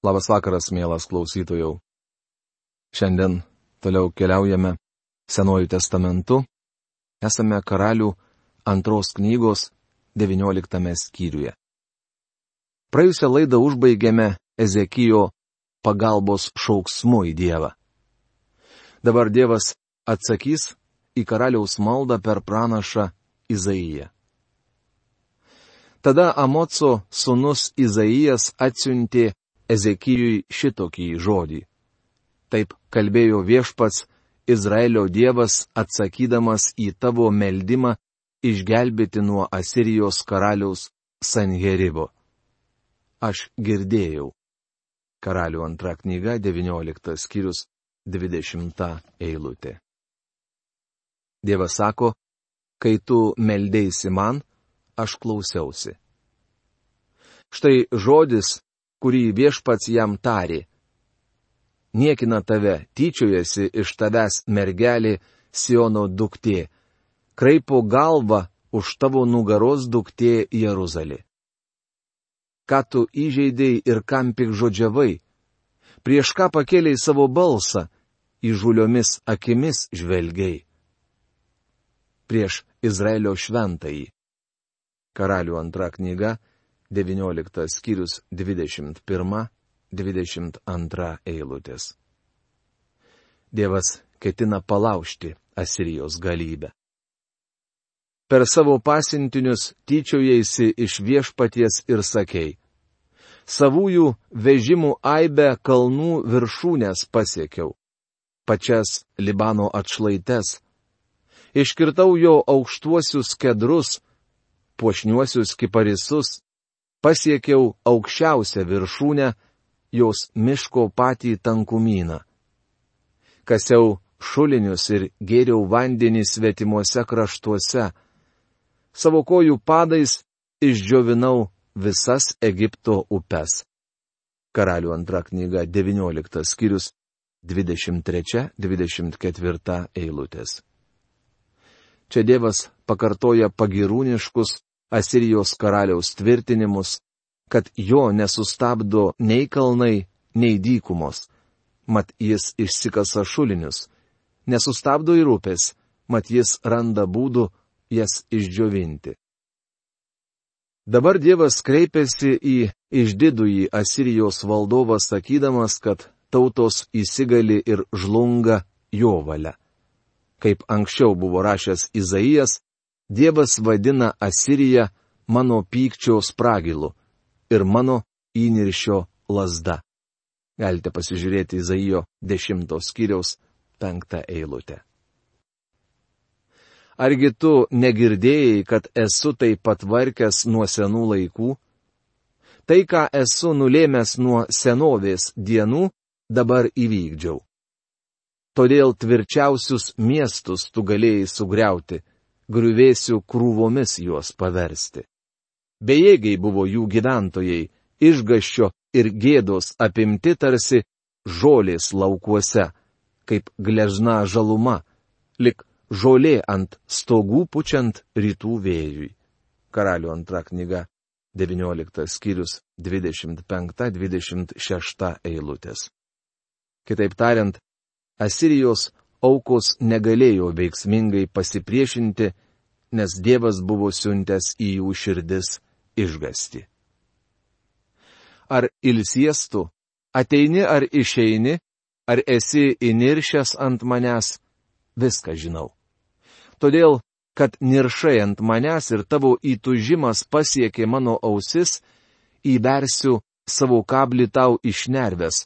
Labas vakaras, mielas klausytojau. Šiandien toliau keliaujame Senuoju testamentu. Esame Karalių 2 knygos 19 skyriuje. Praėjusią laidą užbaigėme Ezekijo pagalbos šauksmu į Dievą. Dabar Dievas atsakys į karaliaus maldą per pranašą Izaiją. Tada Amoco sūnus Izaijas atsiuntė Ezekijui šitokį žodį. Taip kalbėjo Viešpats, Izraelio Dievas, atsakydamas į tavo meldimą išgelbėti nuo Asirijos karaliaus Sanheribo. Aš girdėjau. Karalių 2 knyga, 19 skyrius, 20 eilutė. Dievas sako, kai tu meldėsi man, aš klausiausi. Štai žodis, kurį Viešpats jam tarė. Niekina tave, tyčiojasi iš tavęs mergelė Siono duktė, kraipo galvą už tavo nugaros duktė Jeruzalė. Ką tu įžeidėjai ir kam pikžodžiavai, prieš ką pakėlei savo balsą, įžuliomis akimis žvelgiai. Prieš Izraelio šventąjį. Karalių 2 knyga, 19 skyrius, 21-22 eilutės. Dievas ketina palaužti Asirijos galybę. Per savo pasiuntinius tyčiojaisi iš Viešpaties ir sakei, savųjų vežimų aibę kalnų viršūnės pasiekiau, pačias Libano atšlaites, iškirtau jo aukštuosius kedrus, puošniuosius kiparisus, pasiekiau aukščiausią viršūnę, jos miško patį tankumyną. Kasiau šulinius ir gėriau vandenį svetimuose kraštuose. Savo kojų padais išdžiovinau visas Egipto upes. Karalių 2 knyga, 19 skyrius, 23-24 eilutės. Čia Dievas pakartoja pagirūniškus Asirijos karaliaus tvirtinimus, kad jo nesustabdo nei kalnai, nei dykumos, mat jis išsikasa šulinius, nesustabdo ir upės, mat jis randa būdų jas išdžiovinti. Dabar Dievas kreipiasi į išdidųjį Asirijos valdovą sakydamas, kad tautos įsigali ir žlunga jo valia. Kaip anksčiau buvo rašęs Izaijas, Dievas vadina Asiriją mano pykčio spragilu ir mano įniršio lazda. Galite pasižiūrėti Izaijo 10 skyriaus 5 eilutę. Argi tu negirdėjai, kad esu tai patvarkęs nuo senų laikų? Tai, ką esu nulėmęs nuo senovės dienų, dabar įvykdžiau. Todėl tvirčiausius miestus tu galėjai sugriauti, griuvėsių krūvomis juos paversti. Bejėgiai buvo jų gyventojai, išgąsčio ir gėdos apimti tarsi žolės laukuose, kaip gležna žaluma, lik žolė ant stogų pučiant rytų vėjui. Karalių 2 knyga, 19 skyrius, 25-26 eilutės. Kitaip tariant, Asirijos aukos negalėjo veiksmingai pasipriešinti, nes Dievas buvo siuntęs į jų širdis išgąstį. Ar ilsies tu, ateini ar išeini, ar esi įniršęs ant manęs, viską žinau. Todėl, kad niršai ant manęs ir tavo įtūžimas pasiekė mano ausis, įbersiu savo kablį tau išnervęs,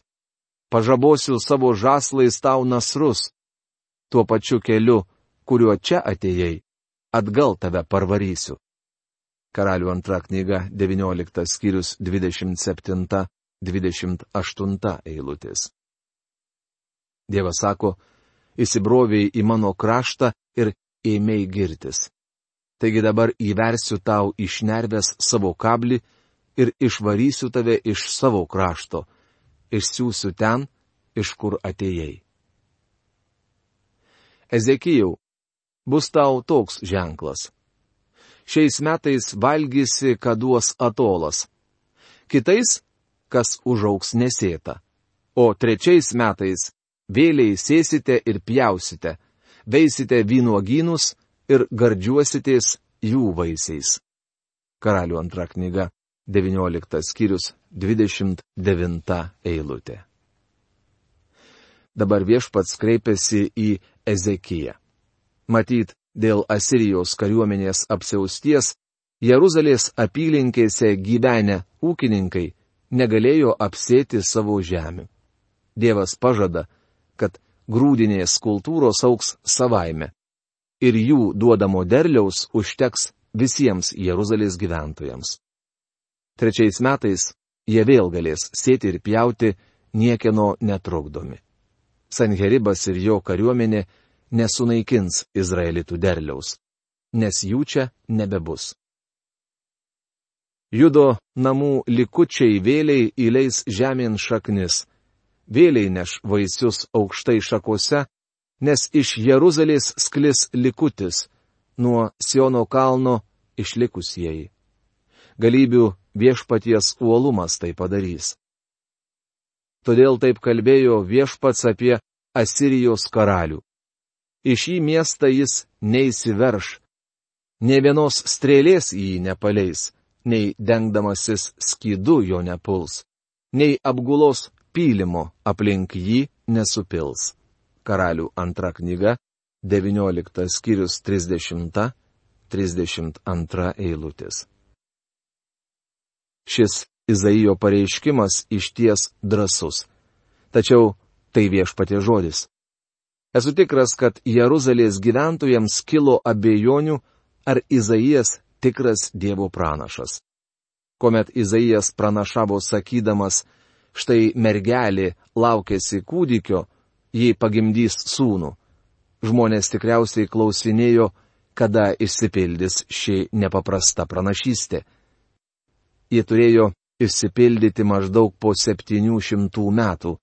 pažabosiu savo žaslais tau nasrus, tuo pačiu keliu, kuriuo čia atėjai, atgal tave parvarysiu. Karalių 2 knyga, 19 skyrius, 27-28 eilutės. Dievas sako, įsibroviai į mano kraštą ir ėmei girtis. Taigi dabar įversiu tau išnervęs savo kablį ir išvarysiu tave iš savo krašto, išsiųsiu ten, iš kur atėjai. Ezekijau, bus tau toks ženklas. Šiais metais valgysi, ką duos atolas. Kitais kas užaugs nesėta. O 3 metais vėliai sėsite ir pjausite, veisite vynuogynus ir gardžiuositės jų vaisiais. Karalių 2 knyga, 19 skyrius, 29 eilutė. Dabar viešpats kreipiasi į Ezekiją. Matyt, dėl Asirijos kariuomenės apsiausties, Jeruzalės apylinkėse gyvenę ūkininkai negalėjo apsėti savo žemių. Dievas pažada, kad grūdinės kultūros augs savaime ir jų duodamo derliaus užteks visiems Jeruzalės gyventojams. 3 metais jie vėl galės sėti ir pjauti niekieno netrukdomi. Sanheribas ir jo kariuomenė nesunaikins izraelitų derliaus, nes jų čia nebebus. Judo namų likučiai vėliai įleis žemėn šaknis, vėliai neš vaisius aukštai šakose, nes iš Jeruzalės sklis likutis, nuo Siono kalno išlikusieji. Galybių viešpaties uolumas tai padarys. Todėl taip kalbėjo viešpats apie Asirijos karalių. Į šį miestą jis neįsiverš, nė vienos strėlės į jį nepaleis, nei dengdamasis skydu jo nepuls, nei apgulos pylimo aplink jį nesupils. Karalių 2 knyga, 19 skyrius 30-32 eilutės. Šis Izaijo pareiškimas išties drąsus. Tačiau tai viešpaties žodis. Esu tikras, kad Jeruzalės gyventojams kilo abejonių, ar Izaijas tikras Dievo pranašas. Kuomet Izaijas pranašavo sakydamas, štai mergelė laukėsi kūdikio, jį pagimdys sūnų. Žmonės tikriausiai klausinėjo, kada išsipildys ši nepaprasta pranašystė. Jie turėjo išsipildyti maždaug po 700 metų,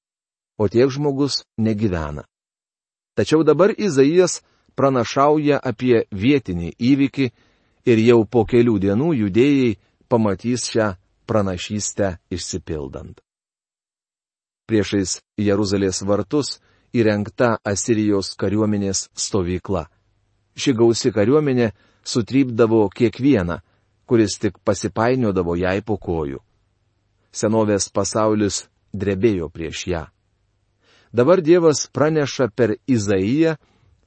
o tiek žmogus negyvena. Tačiau dabar Izaijas pranašauja apie vietinį įvykį ir jau po kelių dienų judėjai pamatys šią pranašystę išsipildant. Priešais Jeruzalės vartus įrengta Asirijos kariuomenės stovykla. Ši gausi kariuomenė sutrypdavo kiekvieną, kuris tik pasipainiodavo jai po kojų. Senovės pasaulis drebėjo prieš ją. Dabar Dievas praneša per Izaiją,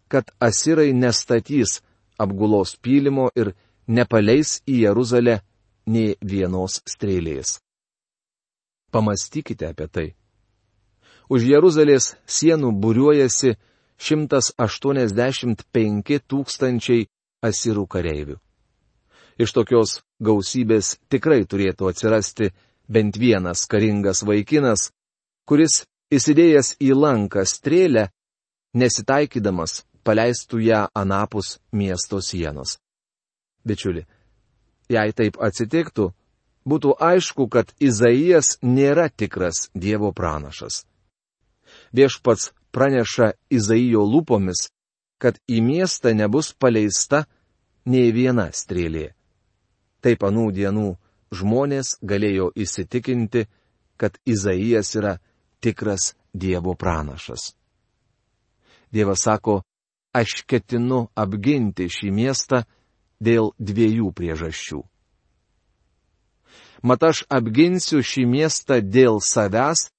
kad asirai nestatys apgulos pylimo ir nepaleis į Jeruzalę nė vienos strėlės. Pamastykite apie tai. Už Jeruzalės sienų būriuojasi 185 000 asirų kareivių. Iš tokios gausybės tikrai turėtų atsirasti bent vienas karingas vaikinas, kuris įsidėjęs į lanką strėlę, nesitaikydamas, paleistų ją anapus miesto sienos. Bičiuli, jei taip atsitiktų, būtų aišku, kad Izaijas nėra tikras Dievo pranašas. Viešpats praneša Izaijo lūpomis, kad į miestą nebus paleista nė viena strėlė. Taip anų dienų žmonės galėjo įsitikinti, kad Izaijas yra tikras Dievo pranašas. Dievas sako, aš ketinu apginti šį miestą dėl 2 priežasčių. Mat aš apginsiu šį miestą dėl savęs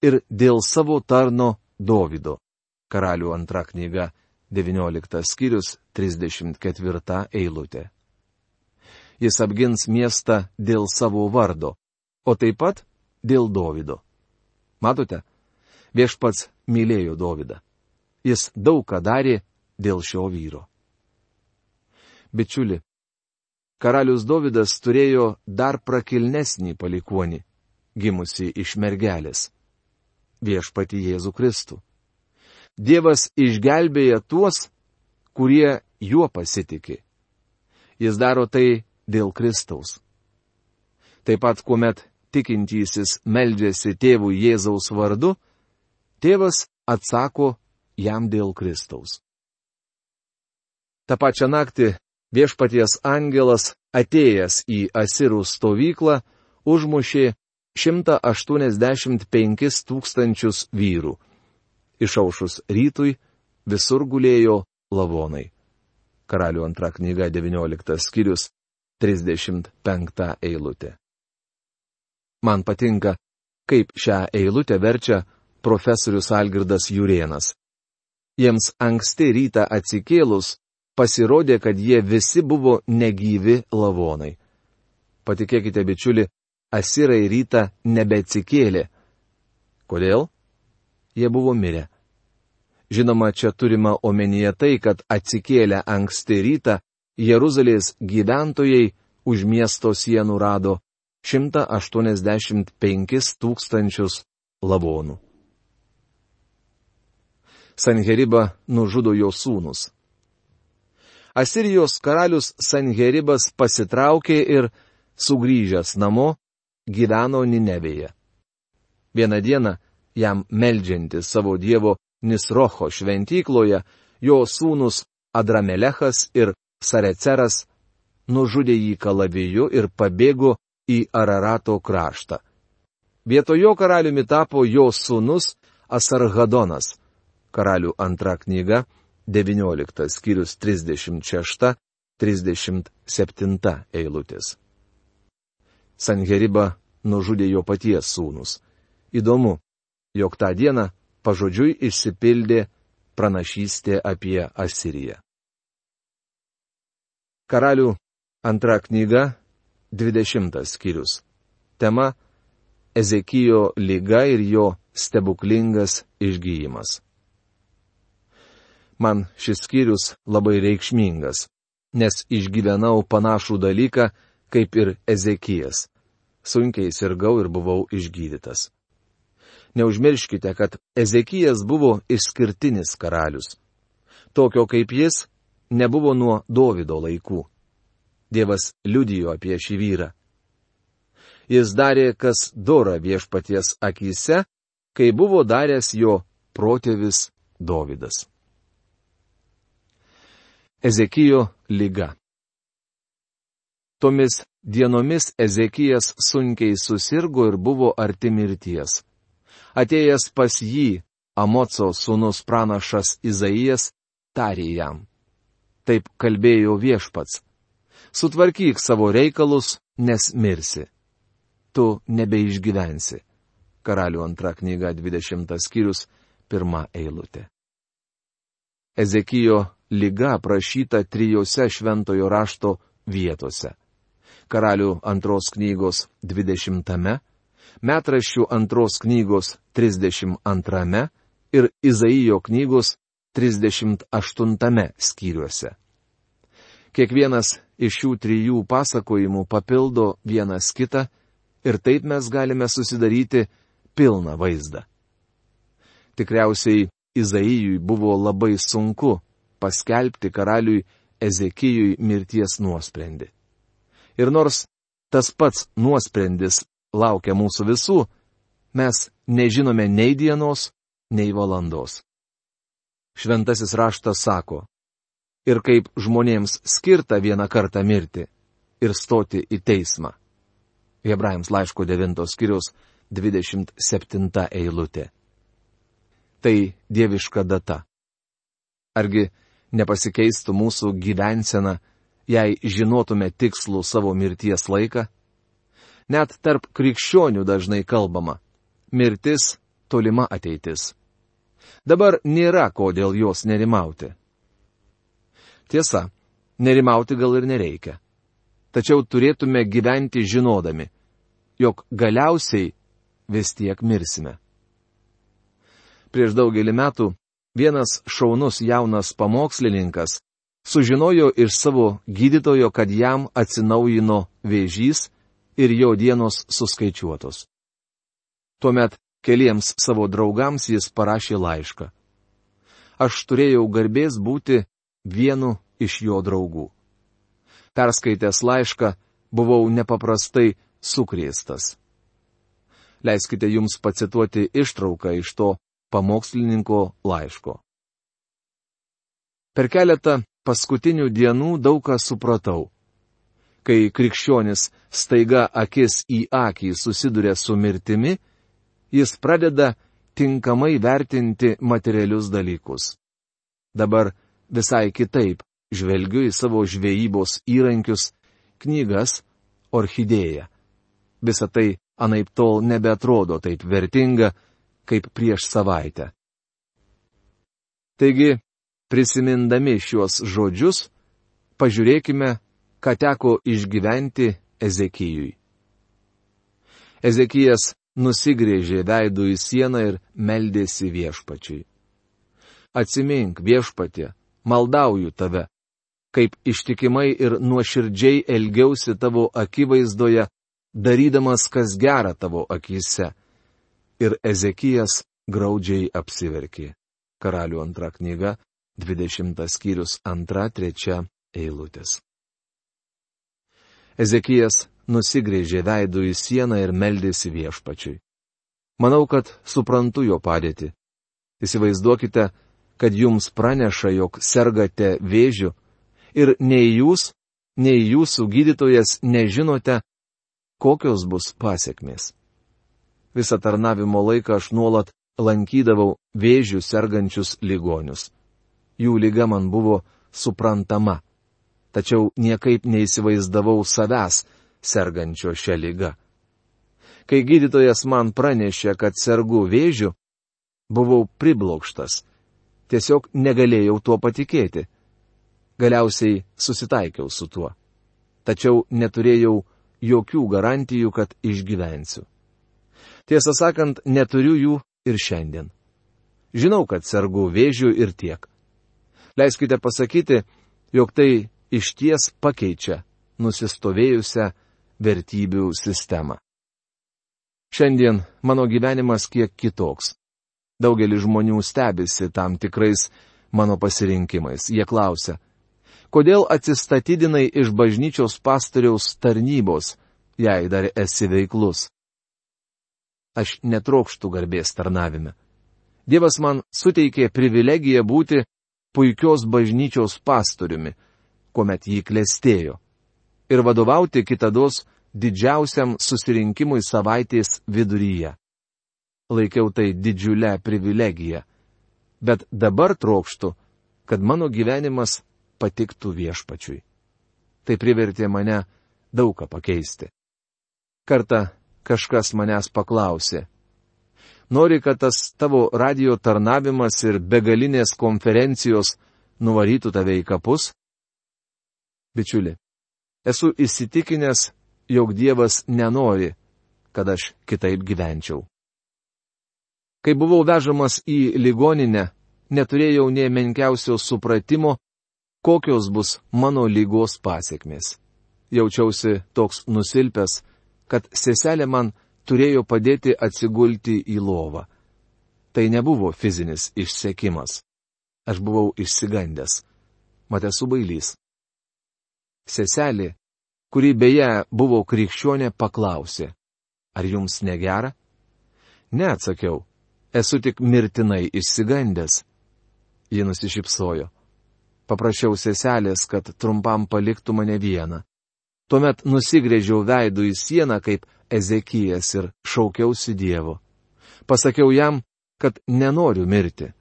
ir dėl savo tarno Dovydo. Karalių 2 knyga, 19 skyrius, 34 eilutė. Jis apgins miestą dėl savo vardo, o taip pat dėl Dovydo. Matote, viešpats mylėjo Dovydą. Jis daug ką darė dėl šio vyro. Bičiuli, karalius Dovydas turėjo dar prakilnesnį palikuonį, gimusi iš mergelės. Viešpatį Jėzų Kristų. Dievas išgelbėja tuos, kurie juo pasitiki. Jis daro tai dėl Kristaus. Taip pat, kuomet tikintysis meldžiasi tėvui Jėzaus vardu, tėvas atsako jam dėl Kristaus. Ta pačia naktį viešpaties angelas, atėjęs į asirų stovyklą, užmušė 185 tūkstančius vyrų. Išaušus rytui visur gulėjo lavonai. Karalių antra knyga 19 skyrius 35 eilutė. Man patinka, kaip šią eilutę verčia profesorius Algirdas Jurėnas. Jiems anksti rytą atsikėlus pasirodė, kad jie visi buvo negyvi lavonai. Patikėkite, bičiuli, asirai rytą nebeatsikėlė. Kodėl? Jie buvo mirę. Žinoma, čia turima omenyje tai, kad atsikėlę anksti rytą Jeruzalės gyventojai už miesto sienų rado 185 tūkstančius lavonų. Sanheribą nužudo jo sūnus. Asirijos karalius Sanheribas pasitraukė ir, sugrįžęs namo, gyveno Ninevėje. Vieną dieną, jam meldžiantis savo dievo Nisrocho šventykloje, jo sūnus Adramelechas ir Sareceras nužudė jį kalaviju ir pabėgo į Ararato kraštą. Vietojo karaliumi tapo jo sūnus Asarhadonas. Karalių antra knyga 19 skyrius 36-37 eilutės. Sanheribą nužudė jo paties sūnus. Įdomu, jog tą dieną pažodžiui išsipildė pranašystė apie Asiriją. Karalių antra knyga 20 skyrius. Tema – Ezekijo liga ir jo stebuklingas išgyjimas. Man šis skyrius labai reikšmingas, nes išgyvenau panašų dalyką kaip ir Ezekijas. Sunkiai sirgau ir buvau išgydytas. Neužmirškite, kad Ezekijas buvo išskirtinis karalius. Tokio kaip jis nebuvo nuo Dovydo laikų. Dievas liudijo apie šį vyrą. Jis darė, kas dora viešpaties akyse, kai buvo daręs jo protėvis Dovydas. Ezekijo liga. Tomis dienomis Ezekijas sunkiai susirgo ir buvo arti mirties. Atėjęs pas jį, Amoco sūnus pranašas Izaijas tarė jam: Taip kalbėjo viešpats: Sutvarkyk savo reikalus, nes mirsi. Tu nebeišgyvensi. Karalių antra knyga 20 skyrius 1 eilutė. Ezekijo liga aprašyta 3 šventojo rašto vietose. Karalių antros knygos 20, metraščių antros knygos 32 ir Izaijo knygos 38 skyriuose. Kiekvienas iš šių 3 pasakojimų papildo vienas kitą ir taip mes galime susidaryti pilną vaizdą. Tikriausiai Izaijui buvo labai sunku paskelbti karaliui Ezekijui mirties nuosprendį. Ir nors tas pats nuosprendis laukia mūsų visų, mes nežinome nei dienos, nei valandos. Šventasis raštas sako: Ir kaip žmonėms skirta vieną kartą mirti ir stoti į teismą. Hebrajams laiško 9 skyriaus 27 eilutė. Tai dieviška data. Argi nepasikeistų mūsų gyvensena, jei žinotume tikslų savo mirties laiką? Net tarp krikščionių dažnai kalbama: mirtis tolima ateitis. Dabar nėra ko dėl jos nerimauti. Tiesa, nerimauti gal ir nereikia. Tačiau turėtume gyventi žinodami, jog galiausiai vis tiek mirsime. Prieš daugelį metų vienas šaunus jaunas pamokslininkas sužinojo iš savo gydytojo, kad jam atsinaujino vėžys ir jo dienos suskaičiuotos. Tuomet keliems savo draugams jis parašė laišką. Aš turėjau garbės būti vienu iš jo draugų. Perskaitęs laišką, buvau nepaprastai sukrėstas. Leiskite jums pacituoti ištrauką iš to pamokslininko laiško. Per keletą paskutinių dienų daug ką supratau. Kai krikščionis staiga akis į akį susiduria su mirtimi, jis pradeda tinkamai vertinti materialius dalykus. Dabar visai kitaip žvelgiu į savo žvejybos įrankius, knygas, orchidėją. Visa tai anaiptol nebeatrodo taip vertinga, kaip prieš savaitę. Taigi, prisimindami šiuos žodžius, pažiūrėkime, ką teko išgyventi Ezekijui. Ezekijas nusigrėžė veidu į sieną ir meldėsi Viešpačiui. Atsimink, Viešpatie, maldauju tave, kaip ištikimai ir nuoširdžiai elgiausi tavo akivaizdoje, darydamas kas gera tavo akyse. Ir Ezekijas graudžiai apsiverkė. Karalių 2 knyga, 20 skyrius 2-3 eilutės. Ezekijas nusigrėžė veidu į sieną ir meldėsi Viešpačiui. Manau, kad suprantu jo padėtį. Įsivaizduokite, kad jums praneša, jog sergate vėžiu ir nei jūs, nei jūsų gydytojas nežinote, kokios bus pasekmės. Visą tarnavimo laiką aš nuolat lankydavau vėžių sergančius ligonius. Jų liga man buvo suprantama, tačiau niekaip neįsivaizdavau savęs sergančio šią ligą. Kai gydytojas man pranešė, kad sergu vėžiu, buvau priblokštas. Tiesiog negalėjau tuo patikėti. Galiausiai susitaikiau su tuo. Tačiau neturėjau jokių garantijų, kad išgyvensiu. Tiesą sakant, neturiu jų ir šiandien. Žinau, kad sergu vėžiu ir tiek. Leiskite pasakyti, jog tai išties pakeičia nusistovėjusią vertybių sistemą. Šiandien mano gyvenimas kiek kitoks. Daugelis žmonių stebisi tam tikrais mano pasirinkimais. Jie klausia, kodėl atsistatydinai iš bažnyčios pastoriaus tarnybos, jei dar esi veiklus? Aš netrokštu garbės tarnavime. Dievas man suteikė privilegiją būti puikios bažnyčios pastoriumi, kuomet jį klestėjo, ir vadovauti kitados didžiausiam susirinkimui savaitės viduryje. Laikiau tai didžiulę privilegiją, bet dabar trokštu, kad mano gyvenimas patiktų Viešpačiui. Tai privertė mane daug ką pakeisti. Kartą kažkas manęs paklausė, nori, kad tas tavo radio tarnavimas ir begalinės konferencijos nuvarytų tave į kapus? Bičiuli, esu įsitikinęs, jog Dievas nenori, kad aš kitaip gyvenčiau. Kai buvau vežamas į ligoninę, neturėjau nė menkiausio supratimo, kokios bus mano ligos pasekmės. Jaučiausi toks nusilpęs, kad seselė man turėjo padėti atsigulti į lovą. Tai nebuvo fizinis išsekimas. Aš buvau išsigandęs. Mat esu bailys. Seselė, kuri beje buvo krikščionė, paklausė, ar jums negera? Ne, atsakiau. Esu tik mirtinai išsigandęs. Ji nusišypsojo. Paprašiau seselės, kad trumpam paliktų mane vieną. Tuomet nusigrėžiau veidu į sieną kaip Ezekijas ir šaukiausi Dievo. Pasakiau jam, kad nenoriu mirti.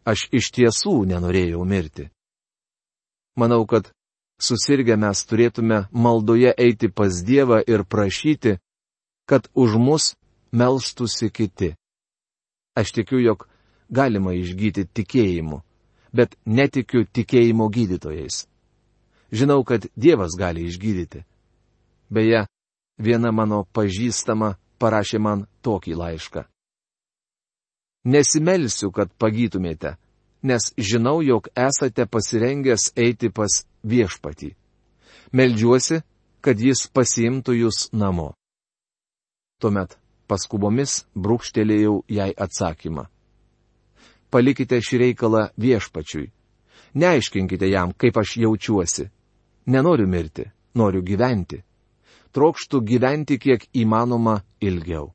Aš iš tiesų nenorėjau mirti. Manau, kad susirgę mes turėtume maldoje eiti pas Dievą ir prašyti, kad už mus melstųsi kiti. Aš tikiu, jog galima išgyti tikėjimu, bet netikiu tikėjimo gydytojais. Žinau, kad Dievas gali išgydyti. Beje, viena mano pažįstama parašė man tokį laišką. Nesimelsiu, kad pagytumėte, nes žinau, jog esate pasirengęs eiti pas Viešpatį. Meldžiuosi, kad jis pasiimtų jūs namo. Tuomet paskubomis brūkštelėjau jai atsakymą. Palikite šį reikalą Viešpačiui. Neaiškinkite jam, kaip aš jaučiuosi. Nenoriu mirti, noriu gyventi. Trokštu gyventi kiek įmanoma ilgiau.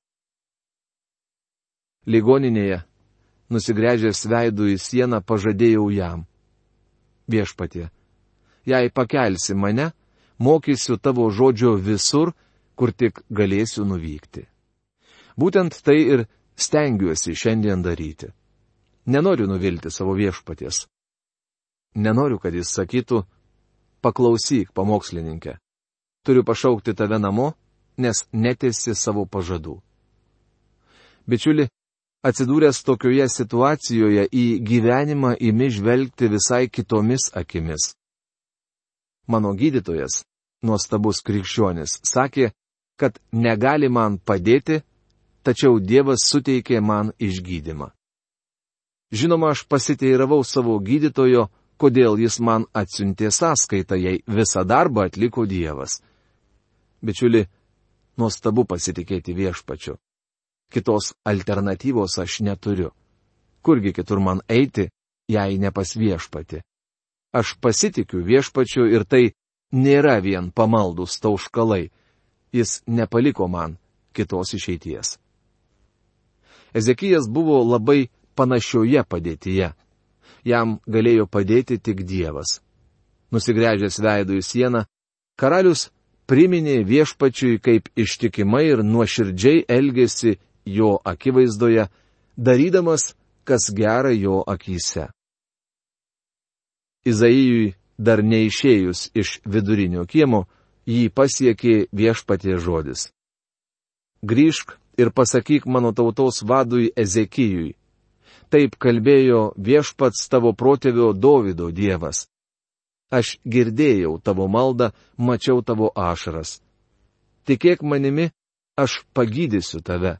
Ligoninėje, nusigręžęs veidu į sieną, pažadėjau jam. Viešpatie, jei pakelsi mane, mokysiu tavo žodžio visur, kur tik galėsiu nuvykti. Būtent tai ir stengiuosi šiandien daryti. Nenoriu nuvilti savo viešpaties. Nenoriu, kad jis sakytų, paklausyk, pamokslininkė. Turiu pašaukti tave namo, nes netesi savo pažadų. Bičiuli, atsidūręs tokioje situacijoje į gyvenimą imi žvelgti visai kitomis akimis. Mano gydytojas, nuostabus krikščionis, sakė, kad negali man padėti, tačiau Dievas suteikė man išgydymą. Žinoma, aš pasiteiravau savo gydytojo, kodėl jis man atsiuntė sąskaitą, jei visą darbą atliko Dievas. Bičiuli, nuostabu pasitikėti viešpačiu. Kitos alternatyvos aš neturiu. Kurgi kitur man eiti, jei ne pas viešpatį? Aš pasitikiu viešpačiu ir tai nėra vien pamaldus tauškalai. Jis nepaliko man kitos išeities. Ezekijas buvo labai panašioje padėtyje. Jam galėjo padėti tik Dievas. Nusigręžęs veidų į sieną, karalius priminė viešpačiui, kaip ištikimai ir nuoširdžiai elgėsi jo akivaizdoje, darydamas, kas gera jo akyse. Izaijui dar neišėjus iš vidurinio kiemo, jį pasiekė viešpaties žodis. Grįžk ir pasakyk mano tautos vadui Ezekijui. Taip kalbėjo viešpats tavo protėvio Dovydo Dievas. Aš girdėjau tavo maldą, mačiau tavo ašaras. Tikėk manimi, aš pagydysiu tave.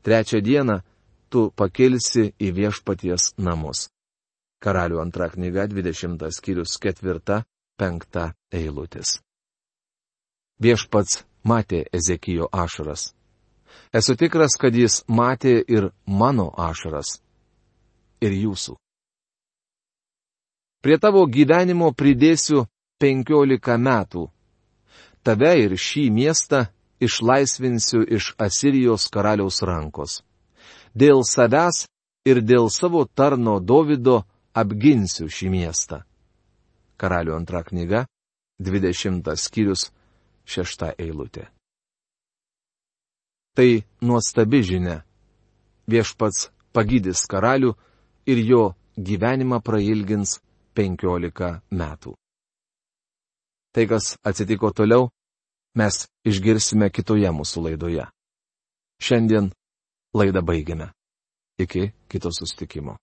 3 dieną tu pakilsi į viešpaties namus. Karalių 2 knyga, 20 skyrius 4-5 eilutės. Viešpats matė Ezekijo ašaras. Esu tikras, kad jis matė ir mano ašaras. Ir jūsų. Prie tavo gyvenimo pridėsiu 15 metų. Tave ir šį miestą išlaisvinsiu iš Asirijos karaliaus rankos. Dėl savęs ir dėl savo tarno Dovydo apginsiu šį miestą. Karalių 2 knyga, 20 skyrius, 6 eilutė. Tai nuostabi žinia. Viešpats pagydys karalių ir jo gyvenimą prailgins 15 metų. Tai, kas atsitiko toliau, mes išgirsime kitoje mūsų laidoje. Šiandien laidą baigiame. Iki kito susitikimo.